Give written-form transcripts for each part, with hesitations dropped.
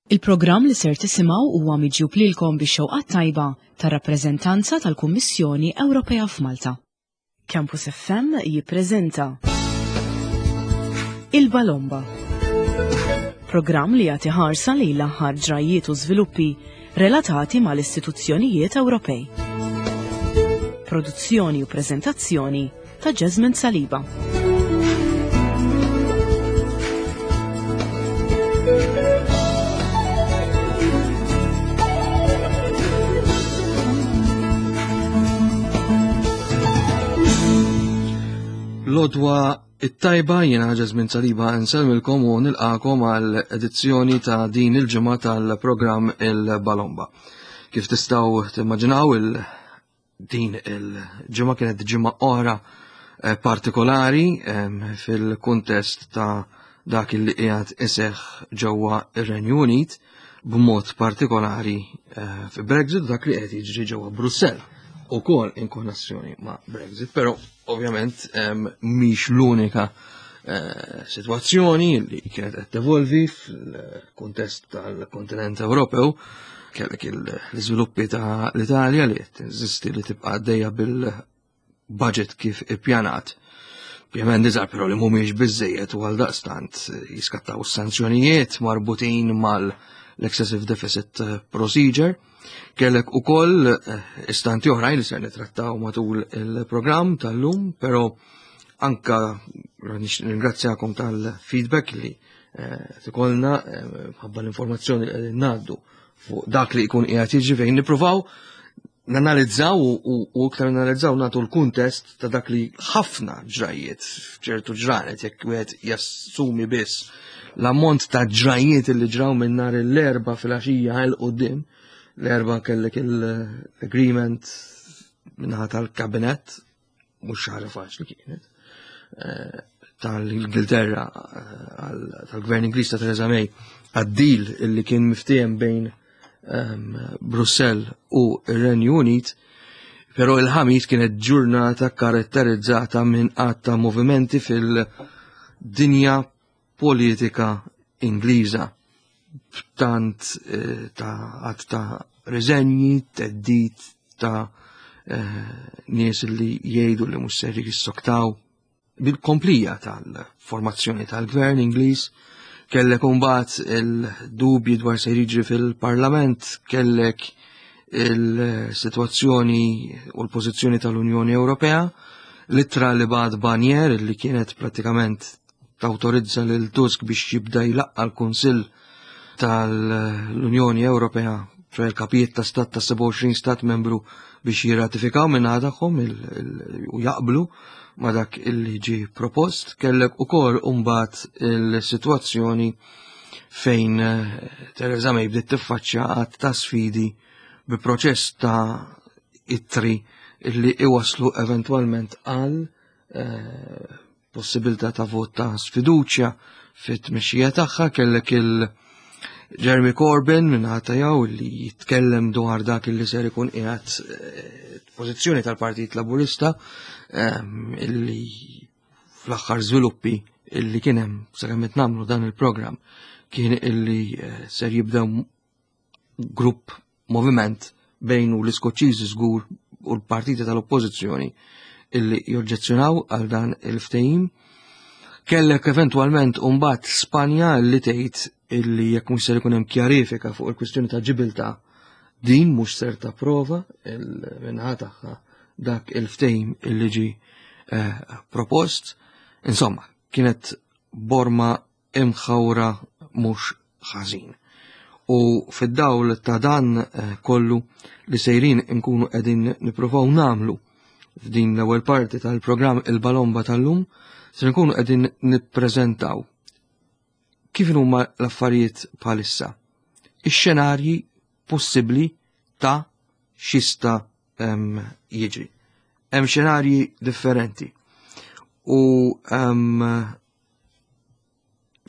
Il-programm li ser tisimgħu huwa miġjub lilkom bix-xewqat tajba tar-rappreżentanza tal-Kummissjoni Ewropea f'Malta. Campus FM jippreżenta Il-Balomba. Programm li jagħti ħarsa lejn l-aħħar ġrajjiet u żviluppi relatati mal-istituzzjonijiet Ewropej. Produzzjoni u preżentazzjoni ta' Jasmine Saliba. Lodwa it-tajba jiena Jasmine Saliba nsellmilkom u nilqakom għal edizzjoni ta' din il-ġimgħa tal-programm Il-Balomba. Kif tistgħu timmaġinaw il Din il-ġimgħa kienet ġimgħa oħra eh, partikolari fil-kuntest ta' dak li qiegħed iseħħ ġewwa ir-Renju Unit b'mod partikolari eh, fi Brexit dak li qed jiġri ġewwa Brussell ukoll in konnessjoni ma' Brexit, però ovvjament mhix l-unika eh, sitwazzjoni li kienet qed tevolvi fil-kuntest tal-kontinent Ewropew kellek l-iżviluppi ta' l-Italja li qed tinsisti li tibqa' għaddejja bil-budget kif ippjanat. Ovvjament iżgħar però li mhumiex biżejjed u għal daqstant jiskattaw sanzjonijiet marbutin mal-excessive deficit procedure. Kellek ukoll eh, istanti oħrajn li ser nitrattaw matul il-programm tal-lum, però anka ringrazzjakom tal-feedback li eh, tikolna eh, ħabba l-informazzjoni li qegħdin ngħaddu fuq dak li jkun qiegħed jiġri fejn nippruvaw nanalizzaw u iktar nanalizzaw nagħtu l-kuntest ta' dak li ħafna ġrajiet f'ċertu ġranet jekk wieħed jassumi biss l-ammont ta' ġrajiet li ġraw minn nhar l-erba fil-għaxija għal qudiem l-erba kellek l-agreement minnaħa tal-kabinet mhux ħaġa faċli kienet, eh, tal-Ingilterra eh, tal-Gvern Ingliż ta' Theresa May għad-deal illi kien miftiem bejn ehm, Brussell u r-Renju Unit, però il-ħamis kienet ġurnata karatterizzata minn għadd ta' movimenti fil-dinja politika Ingliża b'tant eh, ta' għadd ta' riżenji, teddit ta' eh, nies li jgħidu li mhux ser jissoktaw bil-komplija tal-formazzjoni tal-gvern Ingliż, kellek imbagħad il-dubji dwar se jiġri fil-Parlament, kellek il-sitwazzjoni u l-pożizzjoni tal-Unjoni Ewropea, l-ittra li bad Barnier li kienet pratikament tawtorizza lil Tusk biex jibda jlaqqa l-Kunsill tal-Unjoni Ewropea, ċoħe l-kapijiet ta' stat ta' 27 stat membru biex jirratifikaw minn tagħhom u jaqblu ma dak illi ġi propost, kellek ukoll imbagħad il-sitwazzjoni fejn eh, Theresa May bdiet tiffaċċja għadd ta' sfidi bi proċess ta' ittri illi iwaslu eventwalment għal eh, possibilità ta' vot ta' sfiduċja fit-tmexxija tagħha kellek il Jeremy Corbyn minn jew li jitkellem dwar dak li ser ikun qiegħed eh, pożizzjoni tal-Partit Laburista ehm, illi fl-aħħar żviluppi illi kien hemm sakemm qed nagħmlu dan il-programm kien illi eh, ser jibdew grupp moviment bejn u l-Iskoċċiżi żgur u l-partiti tal-oppożizzjoni illi joġġezzjonaw għal dan il-ftehim. Kellek eventwalment mbagħad Spanja li tgħid illi jekk mhux ser ikun hemm kjarifika fuq il-kwistjoni ta' ġibilta din mhux ser tapprova il-minħa tagħha dak il-ftehim illi ġi eh, propost. Insomma, kienet borma imħawra mhux ħażin. U fid-dawl ta' dan eh, kollu li sejrin inkunu qegħdin nippruvaw nagħmlu f'din l-ewwel parti tal-programm il-Balomba tal-lum, se nkunu qegħdin nippreżentaw kif huma l-affarijiet bħalissa. Ix-xenarji possibbli ta' xista jiġri. Hemm xenarji differenti. U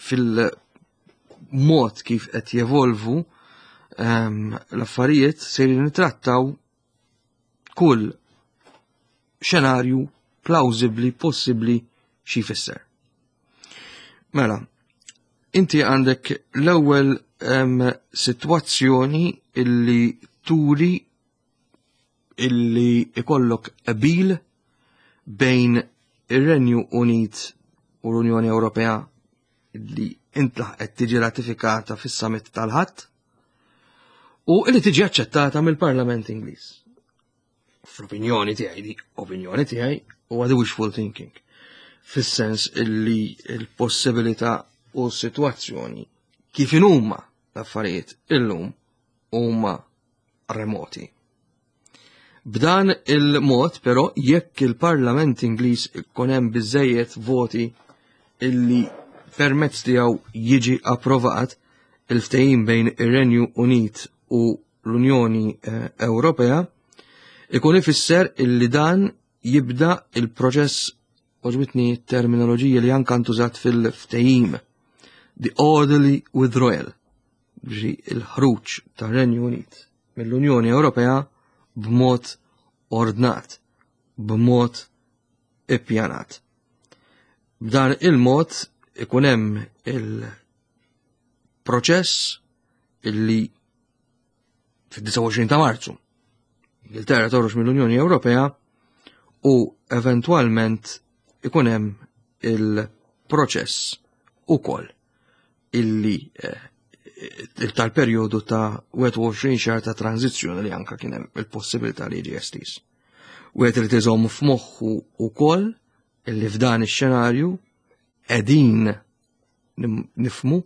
fil-mod kif qed jevolvu ehm, l-affarijiet se nitrattaw kull xenarju plawzibli possibbli xi jfisser. Mela, inti għandek l-ewwel sitwazzjoni illi turi illi ikollok qbil bejn ir-Renju Unit u l-Unjoni Ewropea li intlaħqet tiġi ratifikata fis-summit tal-Ħadd u li tiġi aċċettata mill-Parlament Ingliż. Fl-opinjoni tiegħi, di opinjoni tiegħi huwa the wishful thinking. Fis-sens illi l-possibilità u s-sitwazzjoni kif inhuma l-affarijiet illum huma remoti. B'dan il-mod, però, jekk il-Parlament Ingliż ikun hemm biżejjed voti illi permezz tiegħu jiġi approvat il-ftehim bejn ir-Renju Unit u l-Unjoni eh, Ewropea, ikun ifisser illi dan jibda il-proċess oġbitni terminoloġija li anka ntużat fil-ftehim the orderly withdrawal ġi il-ħruġ tar-Renju Unit mill-Unjoni Ewropea b'mod ordnat, b'mod ippjanat. B'dan il-mod ikun hemm il-proċess illi fid-29 ta' Marzu Ingilterra toħroġ mill-Unjoni Ewropea u eventwalment ikun hemm il-proċess ukoll illi eh, tal-perjodu ta' 21 xahar ta' tranzizzjoni li anka kien hemm il-possibilità li jiġi estiż. Wieħed irid iżomm f'moħħu wkoll illi f'dan ix-xenarju qegħdin nifmu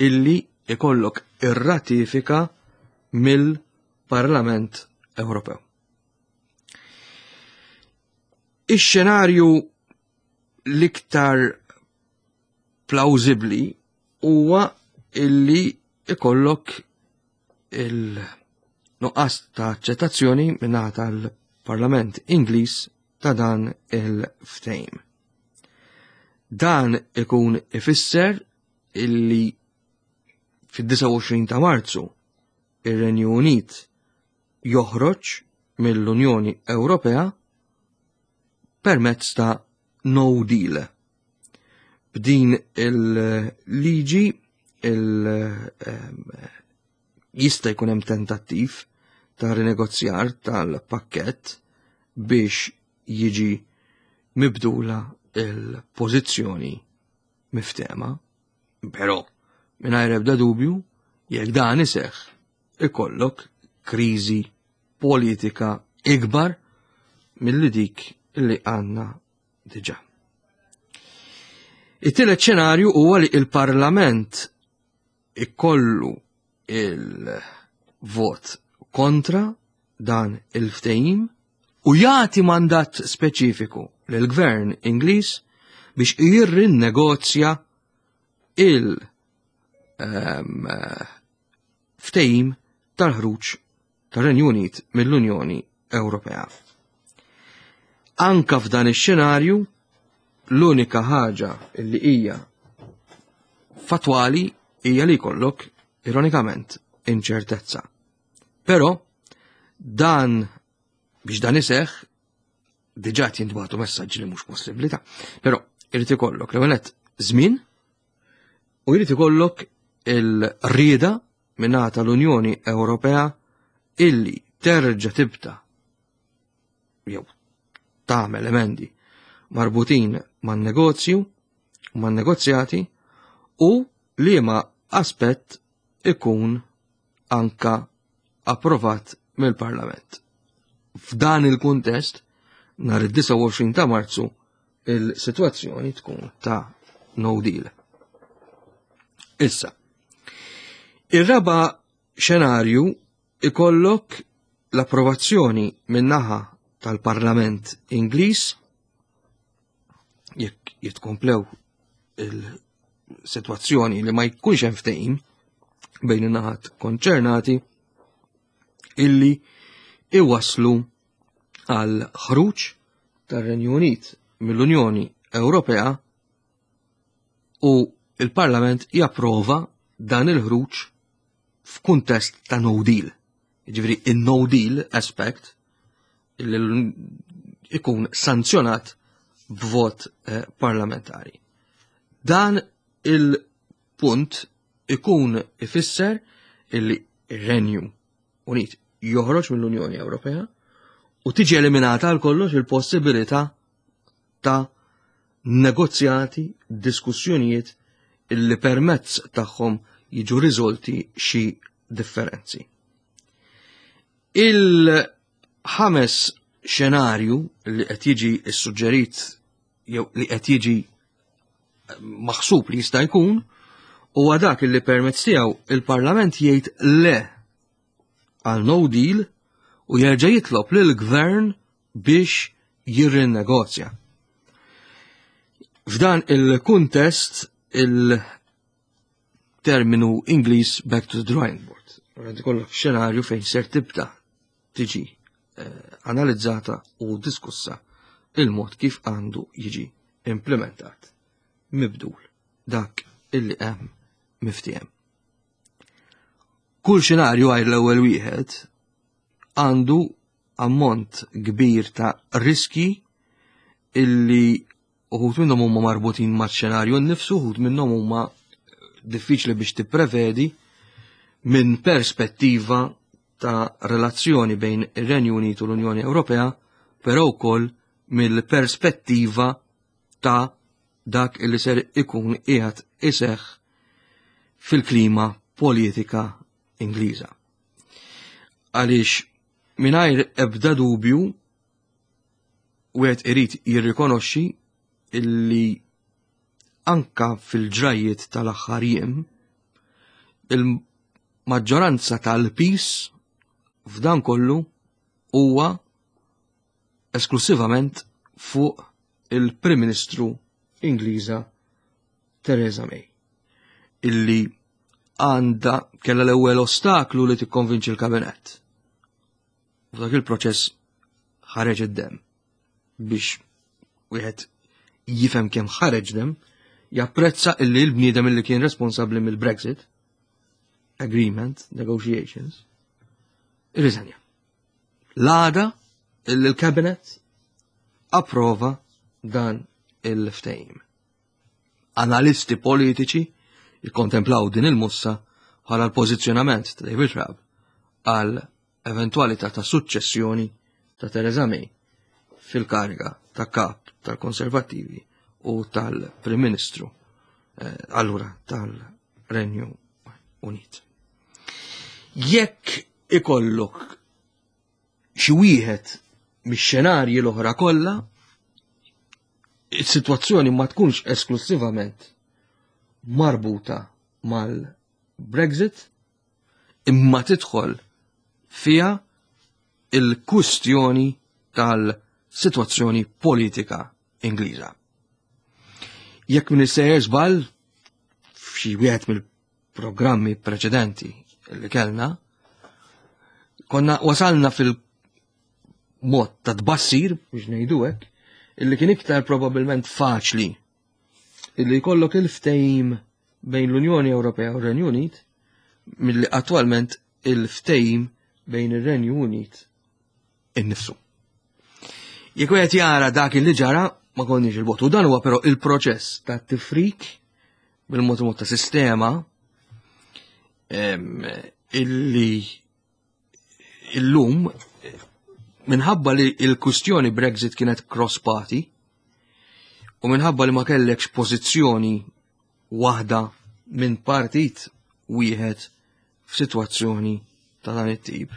illi ikollok ir-ratifika mill-Parlament Ewropew. Ix-xenarju l-iktar plawzibbli huwa illi ikollok il-nuqqas ta' aċċettazzjoni minnaħa tal-Parlament Ingliż ta' dan il-ftehim. Dan ikun ifisser illi fid-29 ta' Marzu ir-Renju Unit joħroġ mill-Unjoni Ewropea permezz ta' no deal. B'din il-liġi il ehm, jista' jkun hemm tentattiv ta' rinegozjar tal-pakkett biex jiġi mibdula il-pożizzjoni miftema, però mingħajr ebda dubju jekk dan iseħħ ikollok kriżi politika ikbar milli dik li għandna diġà. It-tielet xenarju huwa li il-Parlament ikollu il-vot kontra dan il-ftehim u jagħti mandat speċifiku lill-Gvern Ingliż biex jirrinnegozja il- ehm, ftehim tal-ħruġ tar-Renju Unit mill-Unjoni Ewropea. Anka f'dan ix-xenarju l-unika ħaġa li hija fatwali hija li jkollok ironikament inċertezza. Però dan biex dan iseħħ diġà jintbagħtu messaġġi li mhux possibbli ta' però irid ikollok l-ewwel żmien u jrid ikollok il-rieda mingħata tal-Unjoni Ewropea illi terġa' tibda jew tagħmel emendi marbutin man-negozju u man-negozjati u liema aspett ikun anka approvat mill-Parlament. F'dan il-kuntest, nhar id-29 ta' Marzu, il-sitwazzjoni tkun ta' no deal. Issa, ir-raba xenarju ikollok l-approvazzjoni min-naħa tal-Parlament Ingliż jekk jitkomplew il-sitwazzjoni li ma jkunx hemm ftehim bejn in-naħat konċernati illi iwaslu għal ħruġ tar-Renju Unit mill-Unjoni Ewropea u il-Parlament japprova dan il-ħruġ f'kuntest ta' no deal. Ġifieri in-no deal aspect li ikun sanzjonat b'vot eh, parlamentari. Dan il-punt ikun ifisser illi ir-Renju Unit joħroġ mill-Unjoni Ewropea u tiġi eliminata għal kollox il-possibilità ta' negozjati, diskussjonijiet illi permezz tagħhom jiġu riżolti xi differenzi. Il-ħames xenarju li qed jiġi ssuġġerit jew li qed jiġi maħsub li jista' jkun huwa dak li permezz tiegħu il-Parlament jgħid le għal no deal u jerġa' jitlob lil gvern biex jirrinnegozja. F'dan il-kuntest il-terminu Ingliż back to the drawing board. Għad ikollok xenarju fejn ser tibda tiġi eh, analizzata u diskussa il-mod kif għandu jiġi implementat mibdul dak illi hemm miftiem. Kull xenarju għajr l-ewwel wieħed għandu ammont kbir ta' riski illi uħut minnhom huma marbutin maċ-xenarju nnifsu, uħut minnhom huma diffiċli biex tipprevedi minn perspettiva ta' relazzjoni bejn ir-Renju Unit u l-Unjoni Ewropea, però wkoll mill-perspettiva ta' dak li ser ikun qiegħed iseħħ fil-klima politika Ingliża. Għaliex mingħajr ebda dubju wieħed irid jirrikonoxxi illi anka fil-ġrajiet tal-aħħar jiem il-maġġoranza tal-pis f'dan kollu huwa esklusivament fuq il-Prim Ministru Ingliża Theresa May illi għandha kellha l-ewwel ostaklu li tikkonvinċi l-kabinett. F'dak il-proċess ħareġ id-dem biex wieħed jifhem kemm ħareġ dem, japprezza illi l-bniedem illi kien responsabbli mill-Brexit agreement negotiations irriżenja. L-għada illi l-cabinet approva dan il-ftehim. Analisti politiċi jikkontemplaw din il-mussa bħala l-pożizzjonament ta' David Raab għal eventwalità ta' suċċessjoni ta' Theresa May fil-kariga ta' kap tal-Konservattivi u tal-Prim Ministru eh, allura tal-Renju Unit. Jekk ikollok xi wieħed mix-xenarji l-oħra kollha, is-sitwazzjoni ma tkunx esklusivament marbuta mal-Brexit, imma tidħol fiha il-kwistjoni tal-sitwazzjoni politika Ingliża. Jekk min sejjer żball f'xi wieħed mill-programmi preċedenti li kellna, konna wasalna fil-mod ta' tbassir, biex ngħidu hekk, illi kien iktar probabbilment faċli illi jkollok il-ftehim bejn l-Unjoni Ewropea u r-Renju Unit milli attwalment il-ftehim bejn ir-Renju Unit innifsu. Jekk wieħed jara dak li ġara ma konniex il-bot. U dan huwa però il-proċess ta' tifrik bil-mod mod ta' sistema illi illum minħabba li il-kustjoni Brexit kienet cross party u minħabba li ma kellekx pożizzjoni waħda minn partit wieħed f'sitwazzjoni ta' dan it-tip.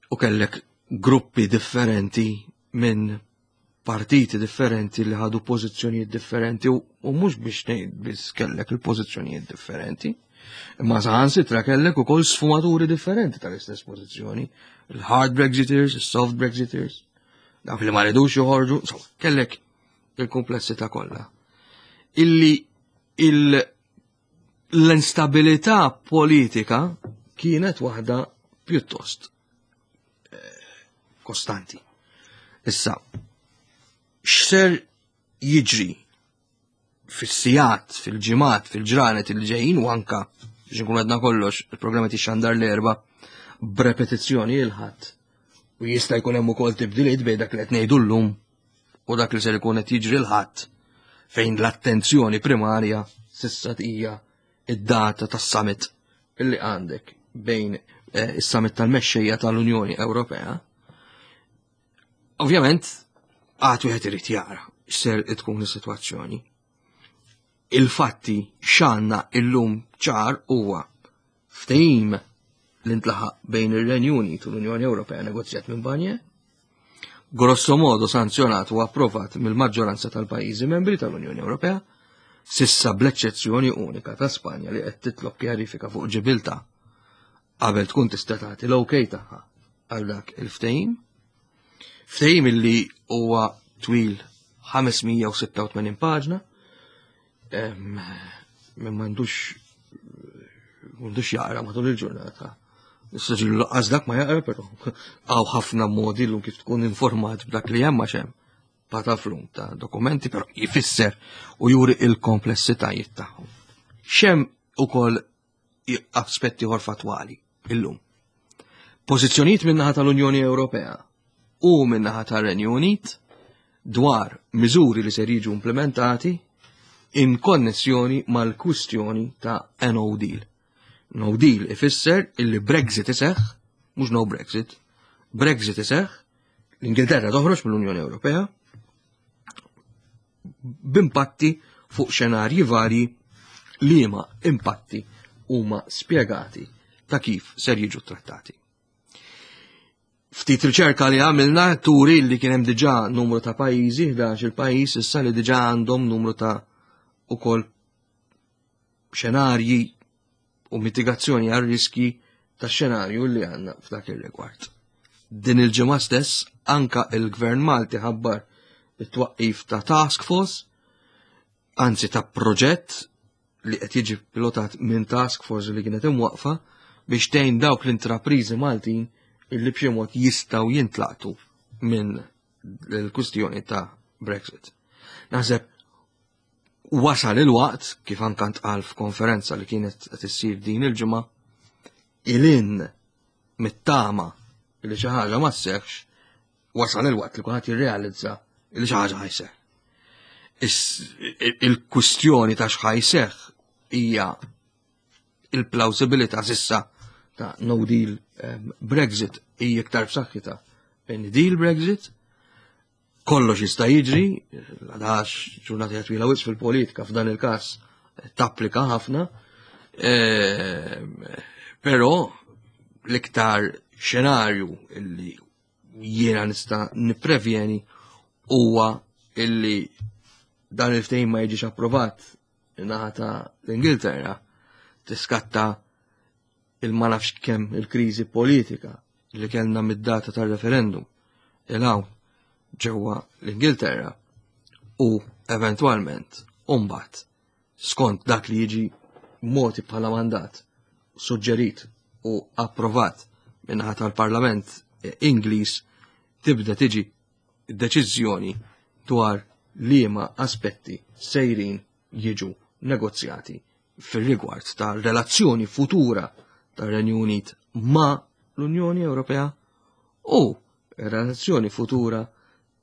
U kellek gruppi differenti minn partiti differenti li ħadu pożizzjonijiet differenti u mhux biex ngħid biss kellek il-pożizzjonijiet differenti, imma saħansitra kellek ukoll sfumaturi differenti tal-istess pożizzjoni, il-hard Brexiteers, il-soft Brexiteers, dawk li ma ridux joħorġu, insomma, kellek il-komplessità kollha. Illi il l-instabilità politika kienet waħda pjuttost eh, kostanti. Issa, x'ser jiġri fis-sijat, fil-ġimgħat, fil-ġranet il ġejjin u anka biex nkun għadna kollox, il-programma tixxandar l-erba b'repetizzjoni il-ħadd. U jista' jkun hemm ukoll tibdiliet bejn dak li qed ngħidu llum u dak li ser ikun qed jiġri l-ħadd fejn l-attenzjoni primarja sissa hija id-data tas-summit illi għandek bejn eh, is-summit tal-mexxejja tal-Unjoni Ewropea, ovvjament għad wieħed irid jara x'ser tkun is-sitwazzjoni. Il-fatti x'għandna illum ċar huwa ftehim li ntlaħaq bejn ir-Renju Unit u l-Unjoni Ewropea negozjat minn Barnier, grosso modo sanzjonat u approvat mill-maġġoranza tal-pajjiżi membri tal-Unjoni Ewropea, sissa bl-eċċezzjoni unika ta' Spanja li qed titlob kjarifika fuq Ġibilta qabel tkun tista' tagħti l-OK tagħha għal dak il-ftehim. Ftehim illi huwa twil 586 paġna, minn m'għandux m'għandux jaqra matul il-ġurnata. Issa ġilu laqqas dak ma jaqra, però hawn ħafna modi llum kif tkun informat b'dak li hemm għax hemm pataflum ta' dokumenti, però jfisser u juri il-komplessitajiet tagħhom. Xem ukoll aspetti ieħor fatwali illum. Pożizzjonijiet min-naħa tal-Unjoni Ewropea u min-naħa tar-Renju Unit dwar miżuri li ser jiġu implementati in konnessjoni mal-kwistjoni ta' no deal. No deal ifisser illi Brexit iseħħ, mhux no Brexit, Brexit iseħħ, l-Ingilterra toħroġ mill-Unjoni Ewropea b'impatti fuq xenarji varji liema impatti huma spjegati ta' kif ser jiġu trattati. Ftit riċerka li għamilna turi li kien hemm diġà numru ta' pajjiżi, 11 il-pajjiż issa li diġà għandhom numru ta' ukoll xenarji u mitigazzjoni għal riski ta' xenarju li għandna f'dak ir-rigward. Din il-ġimgħa stess anka il-Gvern Malti ħabbar it-twaqqif ta' task force, anzi ta' proġett li qed jiġi pilotat minn task force li kienet imwaqfa biex tgħin dawk l-intrapriżi Maltin illi b'xi mod jistgħu jintlaqtu minn l-kwistjoni ta' Brexit. Naħseb wasal il-waqt, kif anka ntqal f'konferenza li kienet qed issir din il-ġimgħa, ilin mit-tama li xi ħaġa ma sseħħx, wasal il-waqt li kulħadd jirrealizza li xi ħaġa ħajseħħ. Il-kwistjoni ta' x'ħajseħħ hija il-plausibilità sissa ta' no deal ehm, Brexit hija iktar b'saħħitha minn deal Brexit Kollox jista' jiġri, għadax ġurnata twila wisq fil-politika f'dan il-każ tapplika ħafna, ehm, però l-iktar xenarju illi jiena nista' nipprevjeni huwa illi dan il-ftehim ma jiġix approvat naħa ta' l-Ingilterra tiskatta il-ma nafx kemm il-kriżi politika li kellna mid-data tar-referendum il hawn ġewwa l-Ingilterra u eventwalment mbagħad skont dak li jiġi moti bħala mandat suġġerit u approvat minnaħa tal-Parlament Ingliż tibda tiġi deċiżjoni dwar liema aspetti sejrin jiġu negozjati fir-rigward ta' relazzjoni futura tar-Renju Unit ma' l-Unjoni Ewropea u relazzjoni futura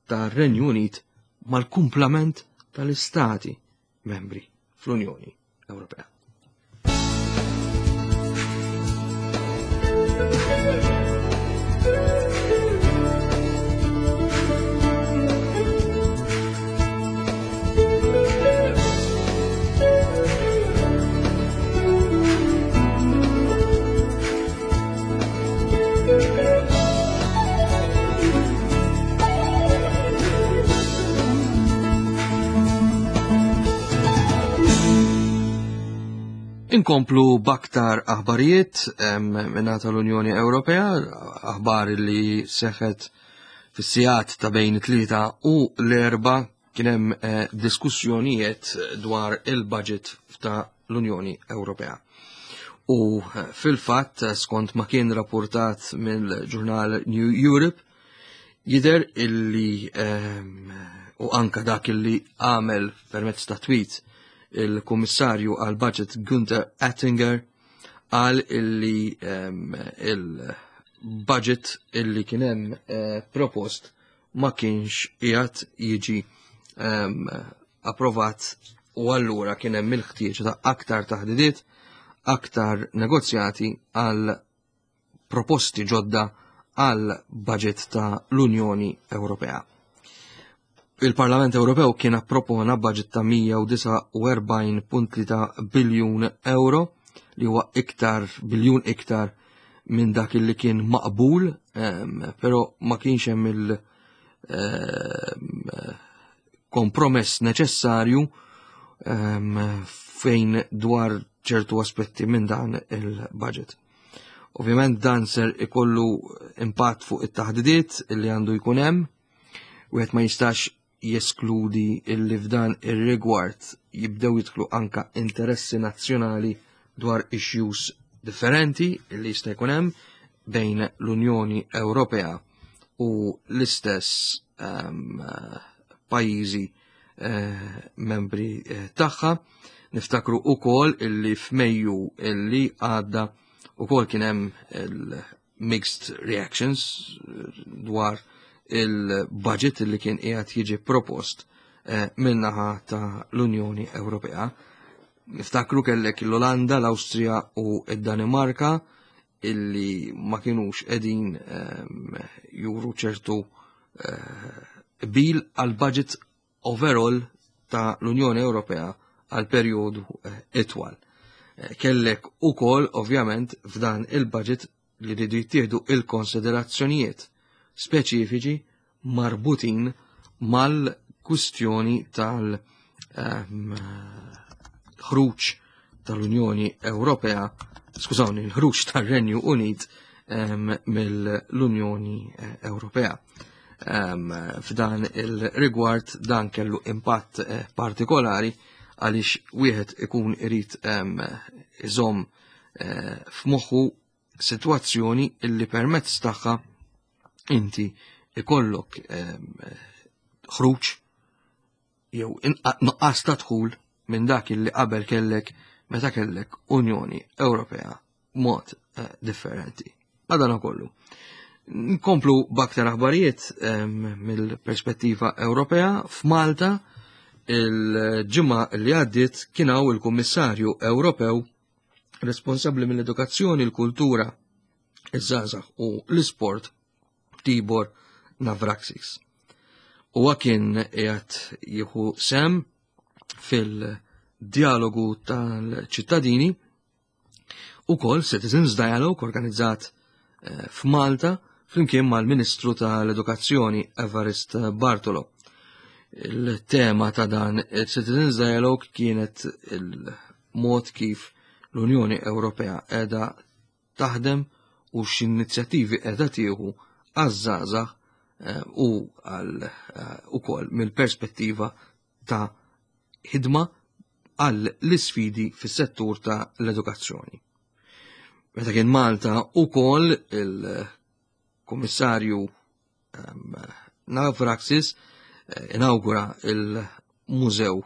tar-Renju Unit mal-kumplament tal-istati membri fl-Unjoni Ewropea. Inkomplu baktar aħbarijiet minna tal-Unjoni Ewropea, aħbar li seħet fis-sigħat ta' bejn it-tlieta u l-erba' kien hemm eh, diskussjonijiet dwar il-budget ta' l-Unjoni Ewropea. U eh, fil-fatt, eh, skont ma kien rapportat mill-ġurnal New Europe, jider illi ehm, u anka dak illi għamel permezz ta' tweet il-Kummissarju għal budget Günther Oettinger għal illi ehm, il-budget illi kienem eh, propost ma kienx qiegħed jiġi ehm, approvat u allura kien hemm il-ħtieġ ta' aktar taħdidiet. aktar negozjati għal proposti ġodda għal budget ta' l-Unjoni Ewropea. Il-Parlament Ewropew kien appropona budget ta' 149.3 biljun euro li huwa iktar biljun iktar minn dak li kien maqbul, però ma kienx hemm il kompromess neċessarju fejn dwar ċertu aspetti minn dan il-budget. Ovvjament dan ser ikollu impatt fuq it-taħdidiet li għandu jkun hemm, wieħed ma jistax jeskludi illi f'dan ir-rigward jibdew jidħlu anka interessi nazzjonali dwar issues differenti illi jista' jkun hemm bejn l-Unjoni Ewropea u l-istess um, pajjiżi uh, membri eh, tagħha. Niftakru ukoll illi f'Mejju illi għadda ukoll kien hemm il-mixed reactions eh, dwar il-budget li kien qiegħed jiġi propost eh, min-naħa ta' l-Unjoni Ewropea. Niftakru kellek l-Olanda, l-Awstrija u d-Danimarka illi ma kienux qegħdin ehm, juru ċertu eh, bil għal budget overall ta' l-Unjoni Ewropea għal perjodu eh, itwal. Eh, kellek ukoll ovvjament f'dan il-budget li ridu jittieħdu il-konsiderazzjonijiet speċifiċi marbutin mal-kwistjoni tal- ehm, ħruġ tal-Unjoni Ewropea, skużawni, l-ħruġ tar-Renju Unit ehm, mill-Unjoni eh, Ewropea. Ehm, f'dan il-rigward dan kellu impatt eh, partikolari għaliex wieħed ikun irid iżomm eh, f'moħħu sitwazzjoni illi permezz tagħha inti ikollok ħruġ jew nuqqas ta' dħul minn dak illi qabel kellek meta kellek Unjoni Ewropea mod eh, differenti. Madana kollu. Nkomplu b'aktar aħbarijiet mill-perspettiva Ewropea f'Malta il-ġimgħa li għaddiet kien hawn il-Kummissarju Ewropew responsabbli mill-edukazzjoni, l-kultura, iż-żgħażagħ u l-isport Tibor Navraxis. Huwa kien qiegħed jieħu sem fil-dialogu tal-ċittadini ukoll Citizens Dialogue organizzat eh, f'Malta flimkien mal-Ministru tal-Edukazzjoni Evarist Bartolo. Il-tema ta' dan il-Citizens Dialogue kienet il-mod kif l-Unjoni Ewropea qiegħda taħdem u x'inizjattivi qiegħda tieħu għaż-żgħażagħ eh, u għal eh, ukoll mill-perspettiva ta' ħidma għal l-isfidi fis-settur ta' l-edukazzjoni. Meta kien Malta ukoll il-Kummissarju ehm, Navraxis eh, inawgura il-mużew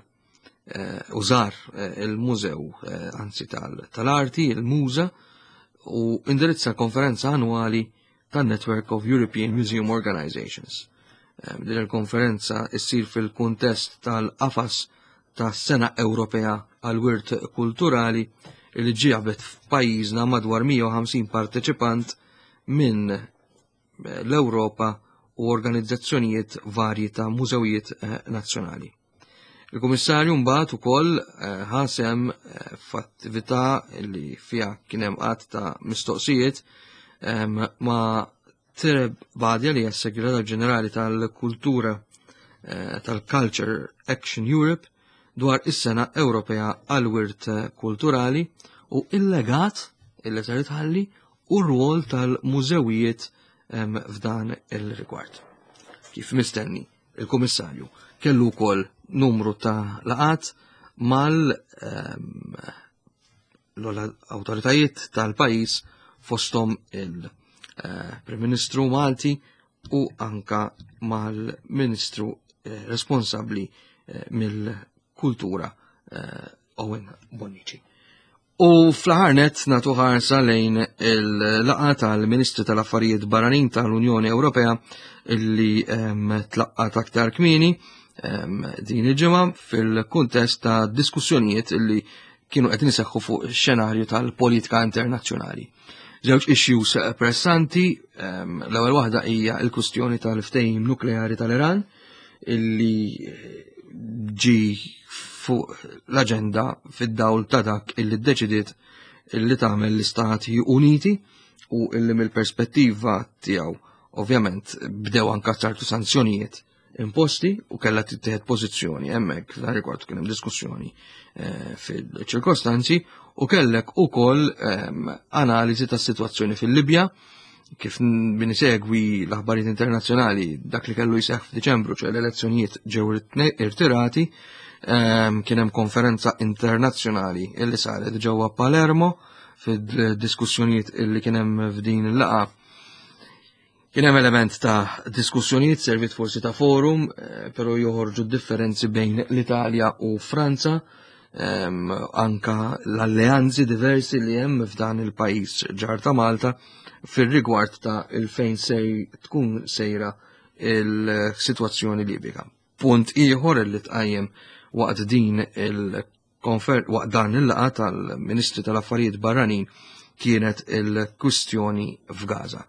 eh, użar eh, il-mużew anzi tal-arti, il-muża, u indirizza konferenza annwali tan-Network of European Museum Organizations. Ehm, din il-konferenza issir fil-kuntest tal-qafas tas-Sena Ewropea għall-Wirt Kulturali li ġiabet f'pajjiżna madwar 150 parteċipant minn eh, l-Ewropa u organizzazzjonijiet varji ta' mużewijiet eh, nazzjonali. Il-Kummissarju mbagħad ukoll eh, ħasem eh, f'attività li fiha kien hemm qatt ta' mistoqsijiet ma' Tereb Badja li hija s-Segretarju Ġenerali tal-Kultura eh, tal-Culture Action Europe dwar is-Sena Ewropea għall-Wirt Kulturali u il-legat illi ser tħalli u r-rwol tal-mużewijiet f'dan il-rigward. Kif mistenni, il-Kummissarju kellu wkoll numru ta' laqat mal ehm, l-awtoritajiet tal-pajjiż fosthom il-Prim Ministru Malti u anka mal-Ministru eh, responsabbli eh, mill-kultura eh, Owen Bonnici. U fl-aħħar nett nagħtu ħarsa lejn il-laqgħa tal-Ministri tal-Affarijiet Barranin tal-Unjoni Ewropea illi ehm, tlaqqat aktar kmieni ehm, din il-ġimgħa fil-kuntest ta' diskussjonijiet illi kienu qed iseħħu fuq xenarju tal-politika internazzjonali. Żewġ issues pressanti, l-ewwel waħda hija l-kwistjoni tal-ftehim nukleari tal-Iran illi ġi fuq l-aġenda fid-dawl ta' dak illi ddeċidiet illi tagħmel l-Istati Uniti u illi mill-perspettiva tiegħu ovvjament bdew anka ċertu sanzjonijiet imposti u kellha tittieħed pożizzjoni hemmhekk f'dan rigward kien hemm diskussjoni eh, fil-ċirkostanzi u kellek ukoll ehm, analiżi tas-sitwazzjoni fil-Libja kif min isegwi l-aħbarijiet internazzjonali dak li kellu jseħħ f'Diċembru ċe l-elezzjonijiet ġew irtirati ehm, kien hemm konferenza internazzjonali illi saret ġewwa Palermo fid-diskussjonijiet illi kien hemm f'din il-laqgħa Kien hemm element ta' diskussjonijiet servit forsi ta' forum, eh, però joħorġu differenzi bejn l-Italja u Franza, ehm, anka l-alleanzi diversi li hemm f'dan il-pajjiż ġar ta' Malta fir-rigward ta' il-fejn sej tkun sejra il-sitwazzjoni Libika. Punt ieħor li tqajjem waqt din il Konfer waqt dan il-laqgħa tal-Ministri tal-Affarijiet Barranin kienet il-kwistjoni f'Gaza.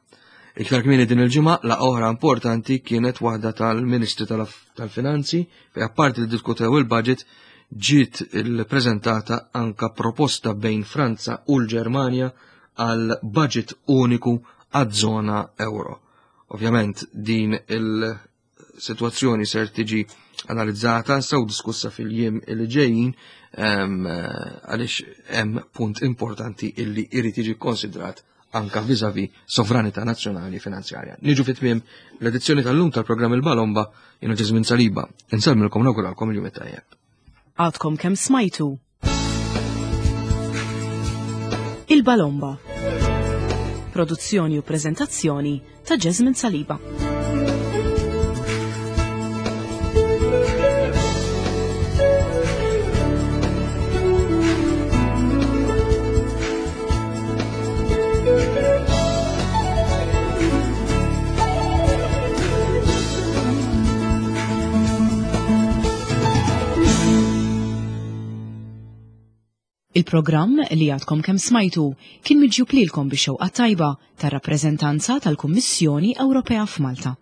Iktar kmieni din il-ġimgħa laqgħa oħra importanti kienet waħda tal-Ministri tal-Finanzi fejn apparti li diskutew il-budget ġiet il-preżentata anka proposta bejn Franza u l-Ġermanja għal budget uniku għaż-żona euro. Ovvjament din il- sitwazzjoni ser tiġi analizzata sew diskussa fil-jiem li ġejjin għaliex hemm punt importanti illi jrid jiġi konsidrat anka vizavi sovranità nazzjonali finanzjarja. Niġu fit-tmiem l-edizzjoni tal-lum tal-programm Il-Balomba jiena Ġeżmin Saliba. Insellmilkom nawguralkom il-jum it-tajjeb. Għadkom kemm smajtu Il-Balomba. Produzzjoni u prezentazzjoni ta' Jasmine Saliba. Il-programm li għadkom kemm smajtu kien miġjub lilkom bix-xewqa tajba tar-rappreżentanza tal-Kummissjoni Ewropea f'Malta.